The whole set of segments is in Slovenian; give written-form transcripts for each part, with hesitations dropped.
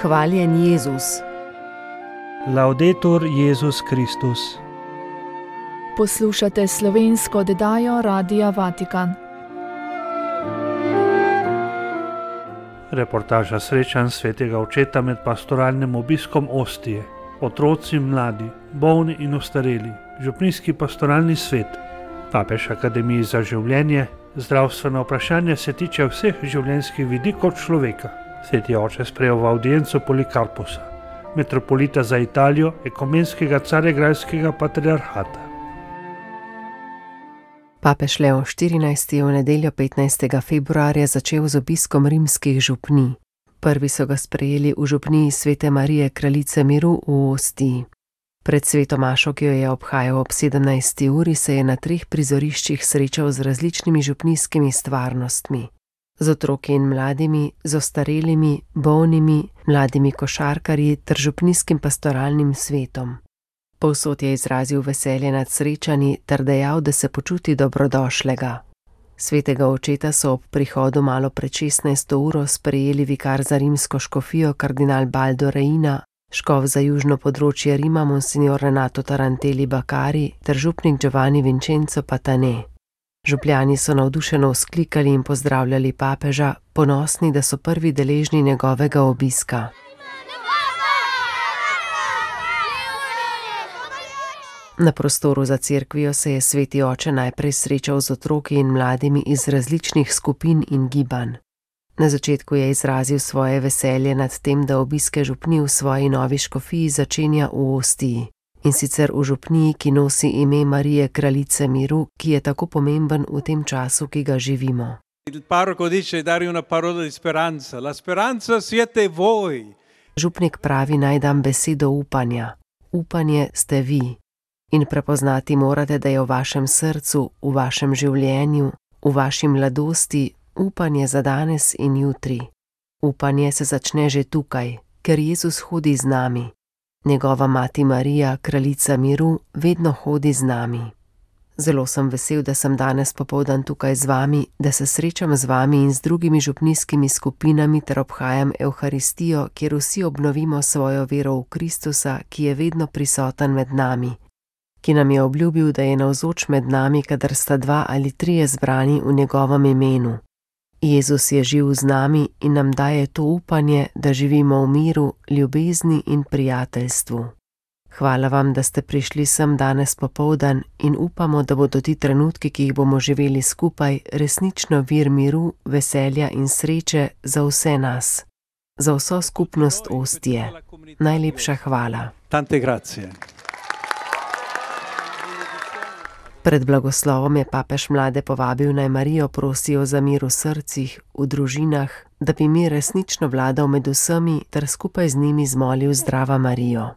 Hvaljen Jezus. Laudetur Jezus Kristus. Poslušate slovensko oddajo Radia Vatikan. Reportaža srečanj svetega očeta med pastoralnim obiskom Ostije. Otroci, mladi, bolni in ostareli, župnijski pastoralni svet, papež Akademiji za življenje, zdravstveno vprašanje se tiče vseh življenjskih vidikov človeka. Sveti oče sprejel v audienco Polikarpusa, metropolita za Italijo, ekumenskega caregrajskega patriarhata. Papež Leo XIV. Je v nedeljo 15. februarja začel z obiskom rimskih župnij. Prvi so ga sprejeli v župniji Svete Marije Kraljice miru v Ostiji. Pred sveto mašo, ki jo je obhajal ob 17. uri, se je na 3 prizoriščih srečal z različnimi župnijskimi stvarnostmi. Z otroki in mladimi, z ostarelimi, bolnimi, mladimi košarkarji ter župnijskim pastoralnim svetom. Povsod je izrazil veselje nad srečanji ter dejal, da se počuti dobrodošlega. Svetega očeta so ob prihodu malo pred 16. uro sprejeli vikar za rimsko škofijo kardinal Baldo Reina, škof za južno področje Rima monsignor Renato Taranteli Bakari ter župnik Giovanni Vincenzo Patane. Župljani so navdušeno vzklikali in pozdravljali papeža, ponosni, da so prvi deležni njegovega obiska. Na prostoru za cerkvijo se je sveti oče najprej srečal z otroki in mladimi iz različnih skupin in gibanj. Na začetku je izrazil svoje veselje nad tem, da obiske župnij v svoji novi škofiji začenja v Ostiji. In sicer v župniji, ki nosi ime Marije Kraljice miru, ki je tako pomemben v tem času, ki ga živimo. Župnik pravi, naj dam besedo upanja. Upanje ste vi. In prepoznati morate, da je v vašem srcu, v vašem življenju, v vaši mladosti upanje za danes in jutri. Upanje se začne že tukaj, ker Jezus hodi z nami. Njegova mati Marija, Kraljica miru, vedno hodi z nami. Zelo sem vesel, da sem danes popoldan tukaj z vami, da se srečam z vami in z drugimi župnijskimi skupinami ter obhajam Evharistijo, kjer vsi obnovimo svojo vero v Kristusa, ki je vedno prisoten med nami, ki nam je obljubil, da je navzoč med nami, kadar sta 2 ali 3 zbrani v njegovem imenu. Jezus je živ z nami in nam daje to upanje, da živimo v miru, ljubezni in prijateljstvu. Hvala vam, da ste prišli sem danes popoldan in upamo, da bodo ti trenutki, ki jih bomo živeli skupaj, resnično vir miru, veselja in sreče za vse nas. Za vso skupnost Ostije. Najlepša hvala. Tante grazie. Pred blagoslovom je papež mlade povabil, naj Marijo prosijo za mir v srcih, v družinah, da bi mir resnično vladal med vsemi ter skupaj z njimi zmolil zdrava Marijo.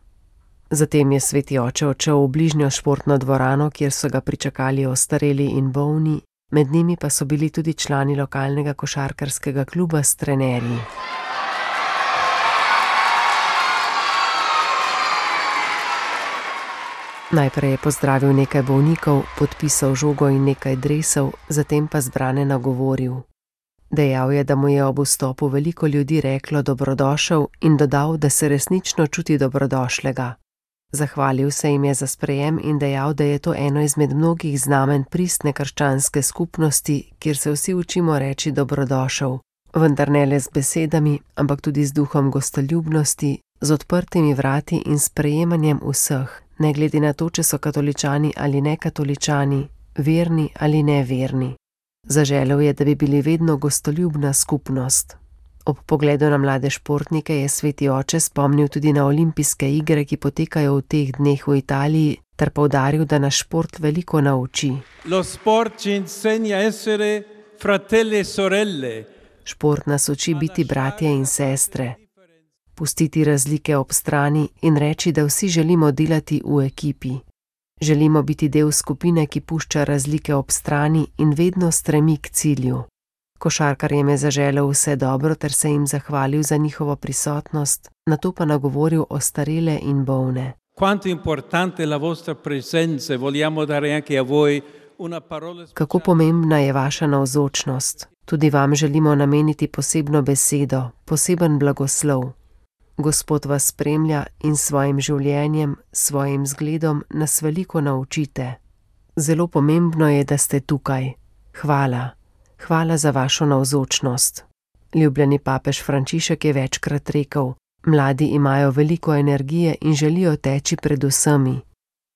Zatem je sveti oče odšel v bližnjo športno dvorano, kjer so ga pričakali ostareli in bolni, med njimi pa so bili tudi člani lokalnega košarkarskega kluba s trenerji. Najprej je pozdravil nekaj bolnikov, podpisal žogo in nekaj dresov, zatem pa zbrane nagovoril. Dejal je, da mu je ob vstopu veliko ljudi reklo dobrodošel in dodal, da se resnično čuti dobrodošlega. Zahvalil se jim je za sprejem in dejal, da je to eno izmed mnogih znamen pristne krščanske skupnosti, kjer se vsi učimo reči dobrodošel, vendar ne le z besedami, ampak tudi z duhom gostoljubnosti, z odprtimi vrati in sprejemanjem vseh, ne glede na to, če so katoličani ali nekatoličani, verni ali neverni. Zaželel je, da bi bili vedno gostoljubna skupnost. Ob pogledu na mlade športnike je sveti oče spomnil tudi na olimpijske igre, ki potekajo v teh dneh v Italiji, ter poudaril, da nas šport veliko nauči. Šport nas uči biti bratje in sestre. Pustiti razlike ob strani in reči, da vsi želimo delati v ekipi. Želimo biti del skupine, ki pušča razlike ob strani in vedno stremi k cilju. Košarkarjem je zaželel vse dobro ter se jim zahvalil za njihovo prisotnost, nato pa nagovoril ostarele in bolne. Kako pomembna je vaša navzočnost. Tudi vam želimo nameniti posebno besedo, poseben blagoslov. Gospod vas spremlja in s svojim življenjem, svojim zgledom nas veliko naučite. Zelo pomembno je, da ste tukaj. Hvala. Hvala za vašo navzočnost. Ljubljeni papež Frančišek je večkrat rekel: mladi imajo veliko energije in želijo teči pred vsemi.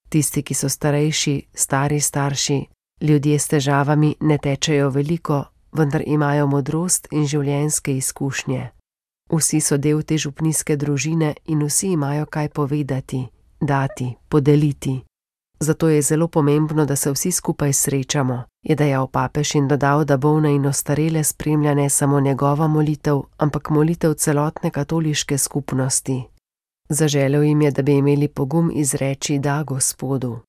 Tisti, ki so starejši, stari starši, ljudje s težavami ne tečejo veliko, vendar imajo modrost in življenjske izkušnje. Vsi so del te župnijske družine in vsi imajo kaj povedati, dati, podeliti. Zato je zelo pomembno, da se vsi skupaj srečamo, je dejal papež in dodal, da bolne in ostarele spremlja ne samo njegova molitev, ampak molitev celotne katoliške skupnosti. Zaželel jim je, da bi imeli pogum izreči da Gospodu.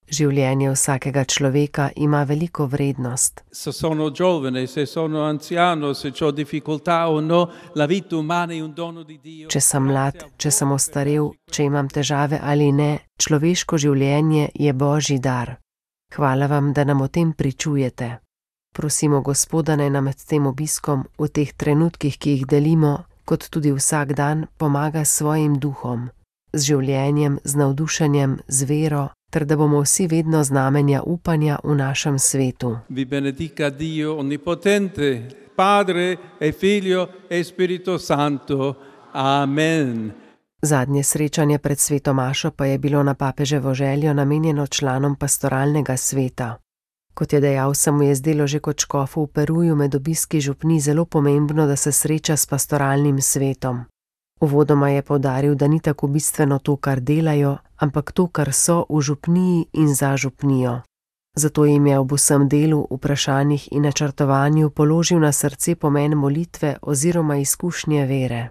Življenje vsakega človeka ima veliko vrednost. Se sono giovane, se sono anziano, se ho difficoltà o no, la vita umana è un dono di Dio. Če sem mlad, če sem ostarel, če imam težave ali ne, človeško življenje je Božji dar. Hvala vam, da nam o tem pričujete. Prosimo Gospoda, naj nam med tem obiskom, v teh trenutkih, ki jih delimo, kot tudi vsak dan, pomaga s svojim duhom, z življenjem, z navdušenjem, z vero, ter da bomo vsi vedno znamenja upanja v našem svetu. Vi benedica Dio onnipotente, Padre e Figlio e Spirito Santo. Amen. Zadnje srečanje pred sveto mašo pa je bilo na papeževo željo namenjeno članom pastoralnega sveta. Kot je dejal, se mu je zdelo že kot škofu v Peruju med obiski župnij zelo pomembno, da se sreča s pastoralnim svetom. Uvodoma je poudaril, da ni tako bistveno to, kar delajo, ampak to, kar so v župniji in za župnijo. Zato jim je ob vsem delu, vprašanjih in načrtovanju položil na srce pomen molitve oziroma izkušnje vere.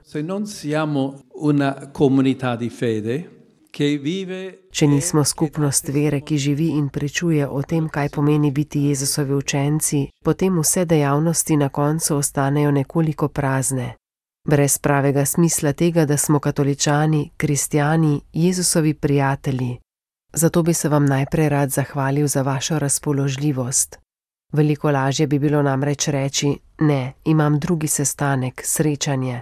Če nismo skupnost vere, ki živi in pričuje o tem, kaj pomeni biti Jezusovi učenci, potem vse dejavnosti na koncu ostanejo nekoliko prazne. Brez pravega smisla tega, da smo katoličani, kristjani, Jezusovi prijatelji. Zato bi se vam najprej rad zahvalil za vašo razpoložljivost. Veliko lažje bi bilo namreč reči: ne, imam drugi sestanek, srečanje.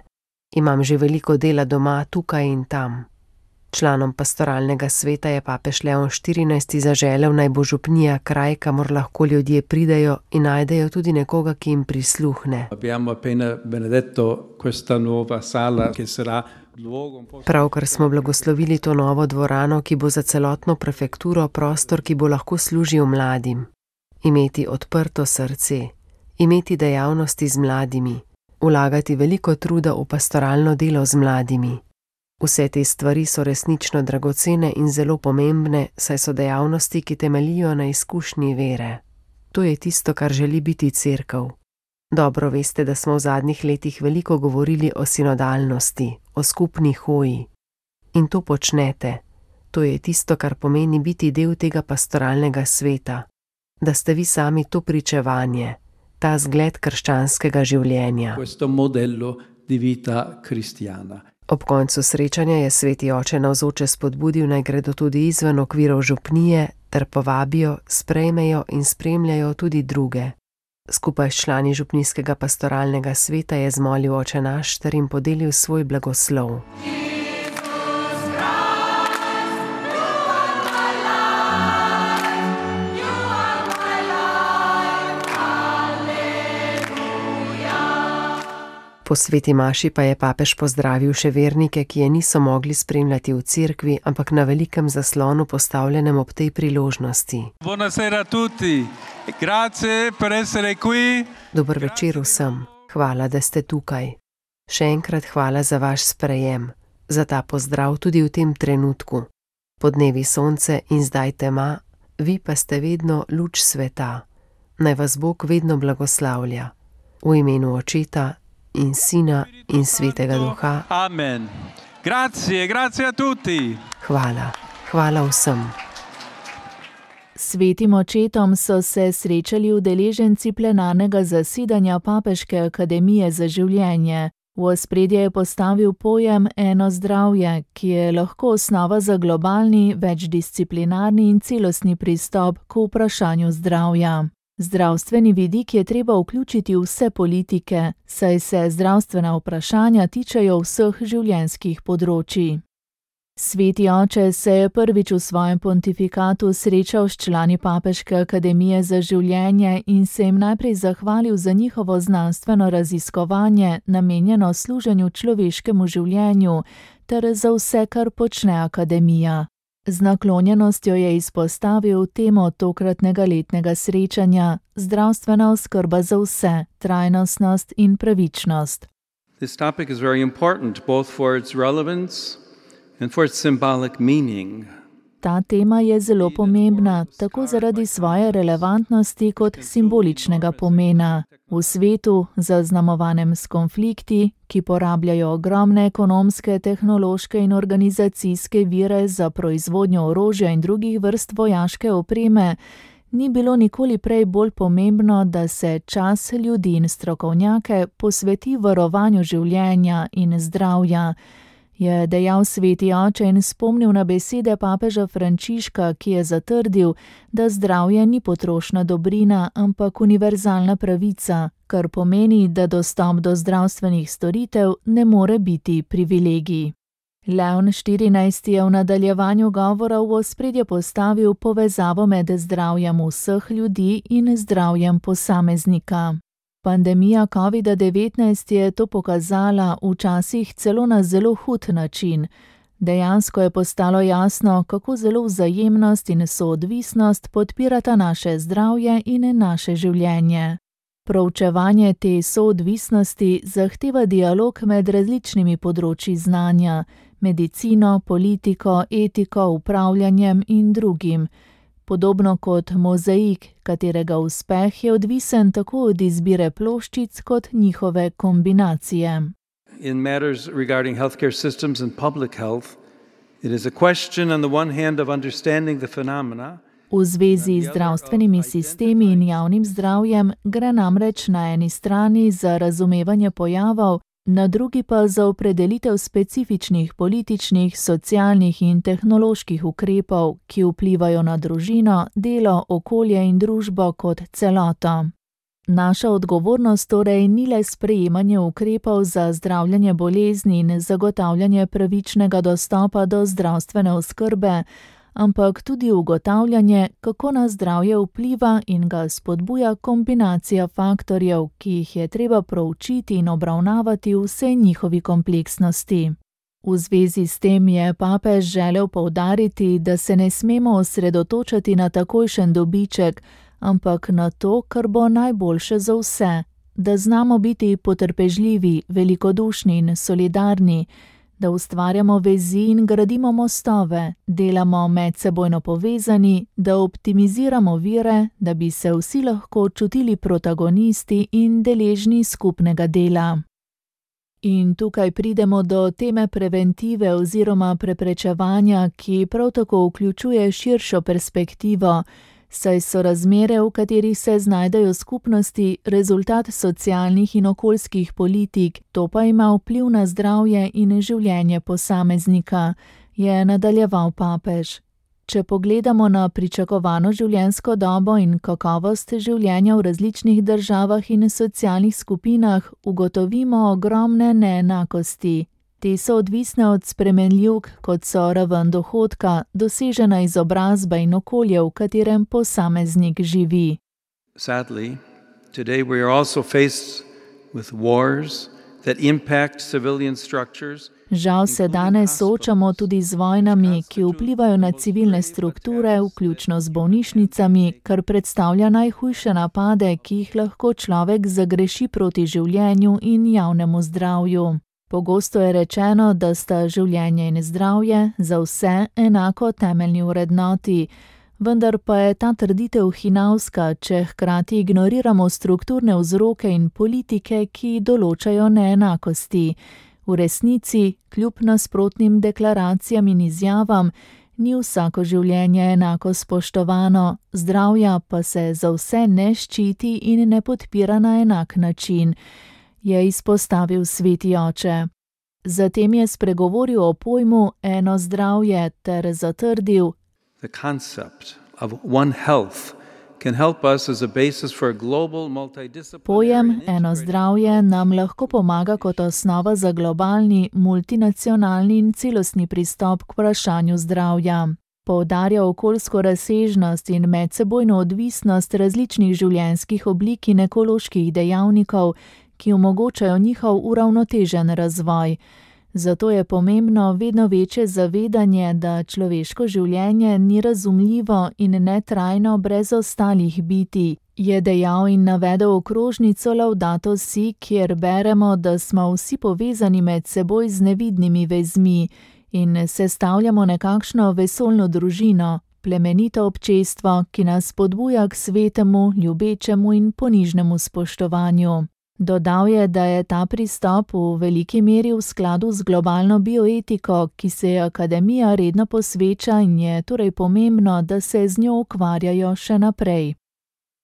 Imam že veliko dela doma, tukaj in tam. Članom pastoralnega sveta je papež Leon XIV. Zaželel, naj bo župnija kraj, kamor lahko ljudje pridejo in najdejo tudi nekoga, ki jim prisluhne. Pravkar smo blagoslovili to novo dvorano, ki bo za celotno prefekturo prostor, ki bo lahko služil mladim. Imeti odprto srce, imeti dejavnosti z mladimi, vlagati veliko truda v pastoralno delo z mladimi. Vse te stvari so resnično dragocene in zelo pomembne, saj so dejavnosti, ki temeljijo na izkušnji vere. To je tisto, kar želi biti cerkev. Dobro veste, da smo v zadnjih letih veliko govorili o sinodalnosti, o skupni hoji. In to počnete. To je tisto, kar pomeni biti del tega pastoralnega sveta. Da ste vi sami to pričevanje, ta zgled krščanskega življenja. Ob koncu srečanja je sveti oče navzoče spodbudil, naj gredo tudi izven okvirov župnije ter povabijo, sprejmejo in spremljajo tudi druge. Skupaj s člani župnijskega pastoralnega sveta je zmolil Oče naš ter jim podelil svoj blagoslov. Po sveti maši pa je papež pozdravil še vernike, ki je niso mogli spremljati v cerkvi, ampak na velikem zaslonu postavljenem ob tej priložnosti. Buonasera a tutti. Grazie per essere qui. Dober večer vsem. Hvala, da ste tukaj. Še enkrat hvala za vaš sprejem, za ta pozdrav tudi v tem trenutku. Podnevi sonce in zdaj tema, vi pa ste vedno luč sveta. Naj vas Bog vedno blagoslavlja. V imenu Očeta in Sina in Svetega Duha. Amen. Grazie, grazie a tutti. Hvala, hvala vsem. S svetim očetom so se srečali udeleženci plenarnega zasedanja Papeške akademije za življenje. V ospredje je postavil pojem eno zdravje, ki je lahko osnova za globalni, večdisciplinarni in celostni pristop k vprašanju zdravja. Zdravstveni vidik je treba vključiti v vse politike, saj se zdravstvena vprašanja tičejo vseh življenjskih področij. Sveti oče se je prvič v svojem pontifikatu srečal s člani Papeške akademije za življenje in se jim najprej zahvalil za njihovo znanstveno raziskovanje, namenjeno služenju človeškemu življenju, ter za vse, kar počne akademija. Z naklonjenostjo je izpostavil temo tokratnega letnega srečanja: zdravstvena oskrba za vse, trajnostnost in pravičnost. This topic is very important both for its relevance and for its symbolic meaning. Ta tema je zelo pomembna, tako zaradi svoje relevantnosti kot simboličnega pomena. V svetu, zaznamovanem s konflikti, ki porabljajo ogromne ekonomske, tehnološke in organizacijske vire za proizvodnjo orožja in drugih vrst vojaške opreme, ni bilo nikoli prej bolj pomembno, da se čas ljudi in strokovnjake posveti varovanju življenja in zdravja, je dejal sveti oče in spomnil na besede papeža Frančiška, ki je zatrdil, da zdravje ni potrošna dobrina, ampak univerzalna pravica, kar pomeni, da dostop do zdravstvenih storitev ne more biti privilegij. Leon XIV je v nadaljevanju govora v ospredje postavil povezavo med zdravjem vseh ljudi in zdravjem posameznika. Pandemija COVID-19 je to pokazala, včasih celo na zelo hud način. Dejansko je postalo jasno, kako zelo vzajemnost in soodvisnost podpirata naše zdravje in naše življenje. Proučevanje te soodvisnosti zahteva dialog med različnimi področji znanja, medicino, politiko, etiko, upravljanjem in drugim. Podobno kot mozaik, katerega uspeh je odvisen tako od izbire ploščic kot njihove kombinacije. In matters regarding healthcare systems and public health, it is a question on the one hand of understanding the phenomena. V zvezi z zdravstvenimi sistemi in javnim zdravjem gre namreč na eni strani za razumevanje pojavov, na drugi pa za opredelitev specifičnih političnih, socialnih in tehnoloških ukrepov, ki vplivajo na družino, delo, okolje in družbo kot celoto. Naša odgovornost torej ni le sprejemanje ukrepov za zdravljenje bolezni in zagotavljanje pravičnega dostopa do zdravstvene oskrbe, ampak tudi ugotavljanje, kako na zdravje vpliva in ga spodbuja kombinacija faktorjev, ki jih je treba proučiti in obravnavati v vsej njihovi kompleksnosti. V zvezi s tem je papež želel poudariti, da se ne smemo osredotočati na takojšen dobiček, ampak na to, kar bo najboljše za vse, da znamo biti potrpežljivi, velikodušni in solidarni, da ustvarjamo vezi in gradimo mostove, delamo medsebojno povezani, da optimiziramo vire, da bi se vsi lahko čutili protagonisti in deležni skupnega dela. In tukaj pridemo do teme preventive oziroma preprečevanja, ki prav tako vključuje širšo perspektivo, saj so razmere, v katerih se znajdejo skupnosti, rezultat socialnih in okoljskih politik, to pa ima vpliv na zdravje in življenje posameznika, je nadaljeval papež. Če pogledamo na pričakovano življenjsko dobo in kakovost življenja v različnih državah in socialnih skupinah, ugotovimo ogromne neenakosti. Te so odvisne od spremenljivk, kot so raven dohodka, dosežena izobrazba in okolje, v katerem posameznik živi. Sadly, today we are also faced with wars that impact civilian structures. Žal se danes soočamo tudi z vojnami, ki vplivajo na civilne strukture, vključno z bolnišnicami, kar predstavlja najhujše napade, ki jih lahko človek zagreši proti življenju in javnemu zdravju. Pogosto je rečeno, da sta življenje in zdravje za vse enako temeljni vrednoti, vendar pa je ta trditev hinavska, če hkrati ignoriramo strukturne vzroke in politike, ki določajo neenakosti. V resnici, kljub nasprotnim deklaracijam in izjavam, ni vsako življenje enako spoštovano, zdravja pa se za vse ne ščiti in ne podpira na enak način, je izpostavil sveti oče. Zatem je spregovoril o pojmu eno zdravje ter zatrdil: The concept of one health can help us as a basis for a global multidisciplinary Pojem eno zdravje nam lahko pomaga kot osnova za globalni, multinacionalni in celostni pristop k vprašanju zdravja. Poudarja okoljsko razsežnost in medsebojno odvisnost različnih življenjskih oblik in ekoloških dejavnikov, ki omogočajo njihov uravnotežen razvoj. Zato je pomembno vedno večje zavedanje, da človeško življenje ni razumljivo in netrajno brez ostalih bitij, je dejal in navedel okrožnico Laudato Si, kjer beremo, da smo vsi povezani med seboj z nevidnimi vezmi in sestavljamo nekakšno vesoljno družino, plemenito občestvo, ki nas spodbuja k svetemu, ljubečemu in ponižnemu spoštovanju. Dodal je, da je ta pristop v veliki meri v skladu z globalno bioetiko, ki se je akademija redno posveča in je torej pomembno, da se z njo ukvarjajo še naprej.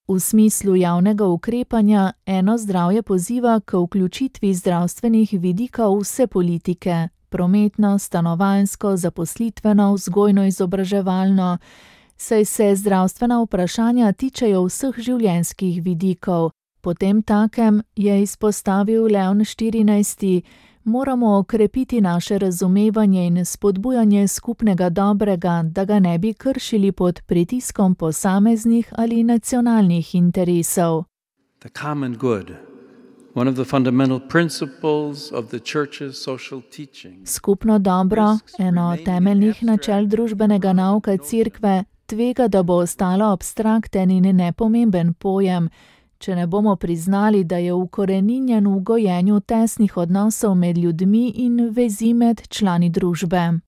V smislu javnega ukrepanja eno zdravje poziva k vključitvi zdravstvenih vidikov vse politike, prometno, stanovanjsko, zaposlitveno, vzgojno-izobraževalno, saj se zdravstvena vprašanja tičejo vseh življenjskih vidikov. Potem takem, je izpostavil Leon XIV, moramo okrepiti naše razumevanje in spodbujanje skupnega dobrega, da ga ne bi kršili pod pritiskom posameznih ali nacionalnih interesov. The common good, one of the fundamental principles of the church's social teaching. Skupno dobro, eno temeljnih načel družbenega nauka Cerkve, tvega, da bo ostalo abstrakten in nepomemben pojem, če ne bomo priznali, da je ukoreninjen v gojenju tesnih odnosov med ljudmi in vezi med člani družbe.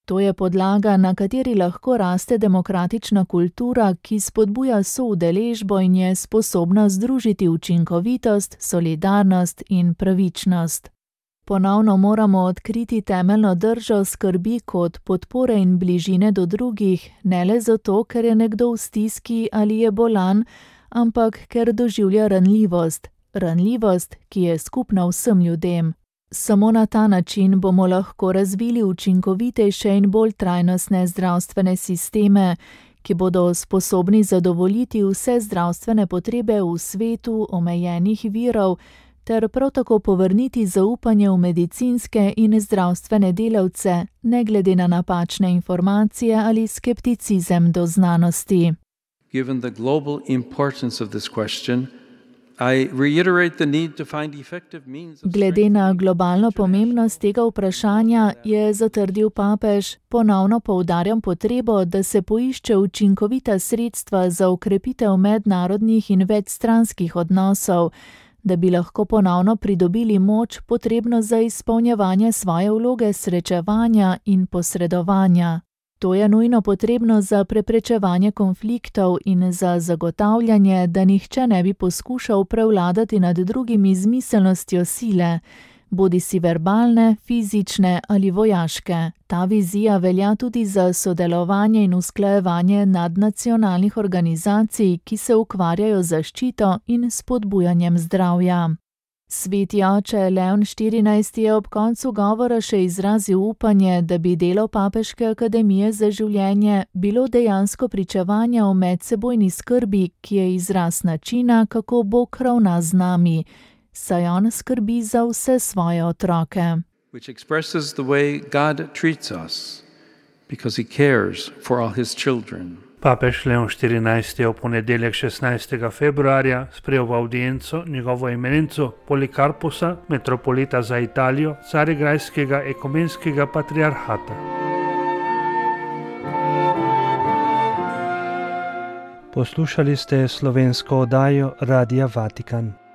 To je podlaga, na kateri lahko raste demokratična kultura, ki spodbuja soudeležbo in je sposobna združiti učinkovitost, solidarnost in pravičnost. Ponovno moramo odkriti temeljno držo skrbi kot podpore in bližine do drugih, ne le zato, ker je nekdo v stiski ali je bolan, ampak ker doživlja ranljivost, ki je skupna vsem ljudem. Samo na ta način bomo lahko razvili učinkovitejše in bolj trajnostne zdravstvene sisteme, ki bodo sposobni zadovoljiti vse zdravstvene potrebe v svetu omejenih virov, ter prav tako povrniti zaupanje v medicinske in zdravstvene delavce, ne glede na napačne informacije ali skepticizem do znanosti. Given the global importance of this question, I reiterate the need to find effective means of Glede na globalno pomembnost tega vprašanja je zatrdil papež, ponovno poudarjam potrebo, da se poišče učinkovita sredstva za okrepitev mednarodnih in večstranskih odnosov, da bi lahko ponovno pridobili moč potrebno za izpolnjevanje svoje vloge srečevanja in posredovanja. To je nujno potrebno za preprečevanje konfliktov in za zagotavljanje, da nihče ne bi poskušal prevladati nad drugimi z miselnostjo sile, bodisi verbalne, fizične ali vojaške. Ta vizija velja tudi za sodelovanje in usklajevanje nadnacionalnih organizacij, ki se ukvarjajo z zaščito in spodbujanjem zdravja. Sveti oče Leon XIV je ob koncu govora še izrazil upanje, da bi delo Papeške akademije za življenje bilo dejansko pričevanje o medsebojni skrbi, ki je izraz načina, kako Bog ravna z nami, saj on skrbi za vse svoje otroke. which expresses the way God treats us, because he cares for all his children. Papež Leon XIV je v ponedeljek 16. februarja sprejel v audienco njegovo eminenco Polikarposa, metropolita za Italijo, Carigrajskega ekumenskega patriarhata. Poslušali ste slovensko oddajo Radia Vatikan.